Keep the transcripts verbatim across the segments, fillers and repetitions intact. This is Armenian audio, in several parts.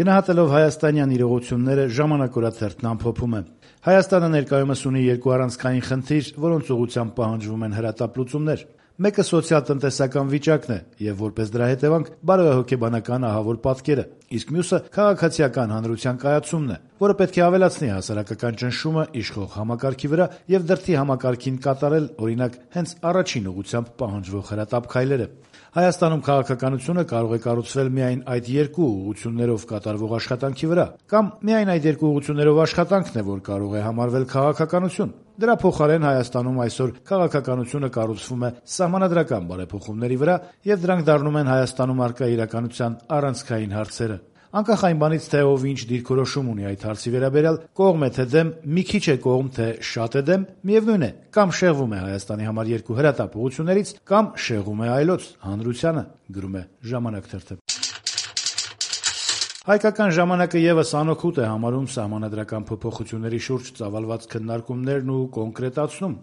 Գնահատելով հայաստանյան իրողությունները «Ժամանակ» օրաթերթն ամփոփում է. Հայաստանը ներկայումս ունի երկու առանցքային խնդիր, որոնց ուղղությամբ պահանջվում են հրատապ լուծումներ: Մեկը սոցիալ-տնտեսական վիճակն է եւ որպես դրա հետեւանք բարոյահոգեբանական ահավոր պատկերը, իսկ մյուսը քաղաքացիական հանրության կայացումն է, որը պետք է ավելացնի հասարակական ճնշումը իշխող համակարգի վրա եւ դրդի համակարգին կատարել, օրինակ, հենց առաջին ուղղությամբ պահանջվող հրատապ քայլերը: Հայաստանում քաղաքականությունը կարող է կառուցվել միայն այդ երկու ուղղություններով կատարվող աշխատանքի վրա, կամ միայն այդ երկու ուղղություններով աշխատանքն է, որ կարող է համարվել քաղաքականություն: Դրա փոխարեն Հայաստանում այսօր քաղաքականությունը կառուցվում է սահմանադրական բարեփոխումների վրա, եւ դրանք դառնում են Հայաստանում առկա իրականության առանցքային հարցերը: Անկախ այն բանից, թե ով ինչ դիրքորոշում ունի այդ հարցի վերաբերյալ, կողմ է թե դեմ, մի քիչ է կողմ թե շատ է դեմ, միևնույն է, կամ շեղվում է Հայաստանի համար երկու հրատապ ուղղություններից, կամ շեղում է այլոց՝ հանրությանը, գրում է «Ժամանակ» թերթը: «Հայկական ժամանակ»-ը եւս անօգուտ է համարում սահմանադրական փոփոխությունների շուրջ ծավալված քննարկումներն ու կոնկրետացնում.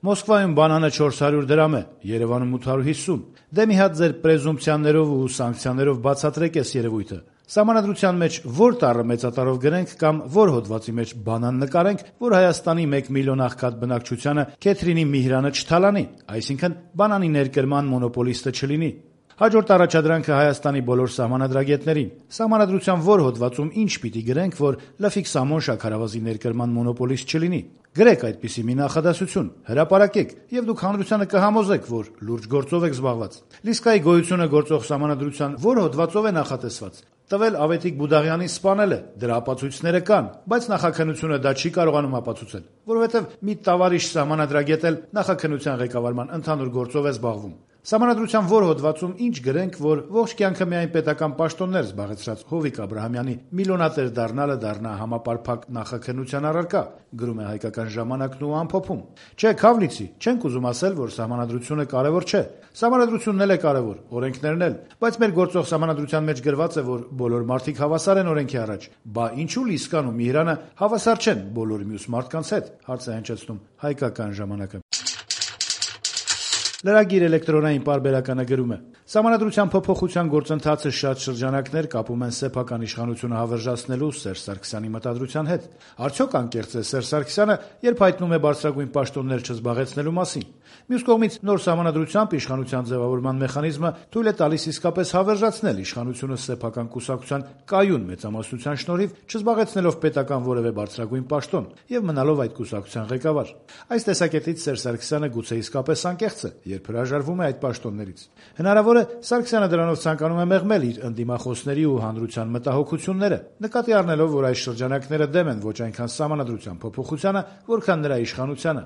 «Մոսկվայում բանանը չորս հարյուր դրամ է, Երեւանում ութ հարյուր հիսուն: Դե մի հատ ձեր պրեզումպցիաներով ու սանկցիաներով բացատրեք էս երեւույթը: Սահմանադրության մեջ ո՞ր տառը մեծատառով գրենք կամ ո՞ր հոդվածի մեջ բանան նկարենք, որ Հայաստանի մեկ միլիոն աղքատ բնակչությանը Քեթրինի Միհրանը չթալանի, այսինքն բանանի ներկրման մոնոպոլիստը չլինի: Հաջորդ առաջադրանքը Հայաստանի բոլոր սահմանադրագետներին. սահմանադրության ո՞ր հոդվածում ինչ պիտի գրենք, որ Լֆիկ Սամոն շաքարավազի ներկրման մոնոպոլիստ չլինի: Գրեք այդպիսի մի նախադասություն, հրապարակեք, եւ դուք հանրությանը կհամոզեք, որ լուրջ գործով եք զբաղված: Լիսկայի գոյությունը գործող սահմանադրության ո՞ր հոդվածով է նախատեսված: Տվել Ավետիք Բուդաղյանին սպանել է, դրա ապացույցները կան, բայց նախաքննությունը դա չի կարողանում ապացուցել, որովհետեւ մի տավարիշ սահմանադրագետ էլ նախաքննության ղեկավարման ընդհանուր գործով է զբաղվում: Սահմանադրության ո՞ր հոդվածում ինչ գրենք, որ ողջ կյանքը միայն պետական պաշտոններ զբաղեցրած Հովիկ Աբրահամյանի միլիոնատեր դառնալը դառնա համապարփակ նախաքննության առարկա», գրում է «Հայկական ժամանակ»-ն ու ամփոփում. «Չէ, Քավլիցի, չենք ուզում ասել, որ սահմանադրությունը կարեւոր չէ: Սահմանադրությունն էլ է կարեւոր, օրենքներն էլ: Բայց մեր գործող սահմանադրության մեջ գրված է, որ բոլոր մարդիկ հավասար են օրենքի առաջ: Բա ինչու Լիսկան ու Միհրանը հավասար չեն բոլոր մյուս մարդկանց հետ»: Lragir էլեկտրոնային պարբերականը գրում է. «Սահմանադրության փոփոխության գործընթացը շատ շրջանակներ կապում են սեփական իշխանությունը հավերժացնելու Սերժ Սարգսյանի մտադրության հետ: Արդյոք անկեղծ է Սերժ Սարգսյանը, երբ հայտնում է բարձրագույն պաշտոններ չզբաղեցնելու մասին: Մյուս կողմից, նոր սահմանադրությամբ իշխանության ձեւավորման մեխանիզմը թույլ է տալիս իսկապես հավերժացնել իշխանությունը սեփական կուսակցության կայուն մեծամասնության շնորհիվ, չզբաղեցնելով պետական որեւէ բարձրագույն պաշտոն եւ մնալով այդ կուսակցության ղեկավար: Այս տեսակետից Սերժ Սարգսյանը գուցե իսկապես անկեղծ է, երբ հրաժարվում է այդ պաշտոններից: Հնարավոր է Սարգսյանը դրանով ցանկանում է մեղմել իր ընդդիմախոսների ու հանրության մտահոգությունները, նկատի առնելով, որ այս շրջանակները դեմ են ոչ այնքան սահմանադրության փոփոխությանը, որքան նրա իշխանությանը»: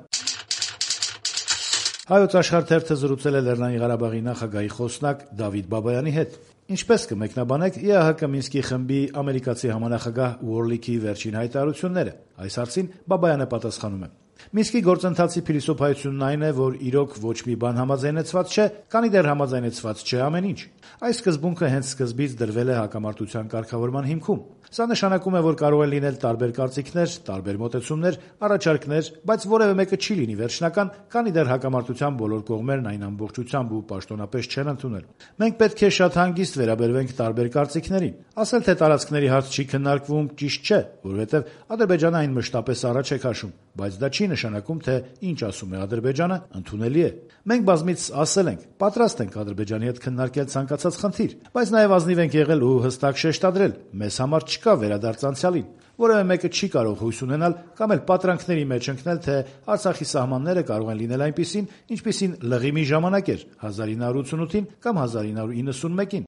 «Հայոց Աշխարհ» թերթը զրուցել է Լեռնային Ղարաբաղի նախագահի խոսնակ Դավիթ Բաբայանի հետ: Ինչպե՞ս կմեկնաբանեք ԵԱՀԿ Մինսկի խմբի ամերիկացի համանախագահ Ուորլիքի վերջին հայտարարությունները: Այս հարցին Բաբայանը պատասխանում է. «Մինսկի գործընթացի փիլիսոփայությունն այն է, որ իրոք ոչ մի բան համաձայնեցված չէ, քանի դեռ համաձայնեցված չէ ամեն ինչ: Այս սկզբունքը հենց սկզբից դրվել է հակամարտության կարգավորման հիմքում: Սա նշանակում է, որ կարող են լինել տարբեր կարծիքներ, տարբեր մոտեցումներ, առաջարկներ, բայց որեւէ մեկը չի լինի վերջնական, քանի դեռ հակամարտության բոլոր կողմերն այն ամբողջությամբ ու պաշտոնապես չեն ընդունել: Մենք պետք է շատ հանգիստ վերաբերվենք տարբեր կարծիքներին: Ասել, թե տարածքների հարց չի քննարկվում, ճիշտ չէ, որովհետեւ Ադրբեջանը այն մշտապես առաջ է քաշում, բայց դա չի նշանակում, թե ինչ ասում է Ադրբեջանը, ընդունելի է: Մենք բազմիցս ասել ենք, պատրաստ ենք Ադրբեջանի հետ քննարկել ցանկացած խնդիր, բայց նաեւ ազնիվ ենք եղել ու հստակ շեշտադրել՝ մեզ համար չկա վերադարձ անցյալին: Որեւէ մեկը չի կարող հույս ունենալ կամ էլ պատրանքների մեջ ընկնել, թե Արցախի սահմանները կարող են լինել այնպիսին, ինչպիսին լղիմի ժամանակ էր հազար ինը հարյուր ութսունութին կամ հազար ինը հարյուր իննսունմեկին: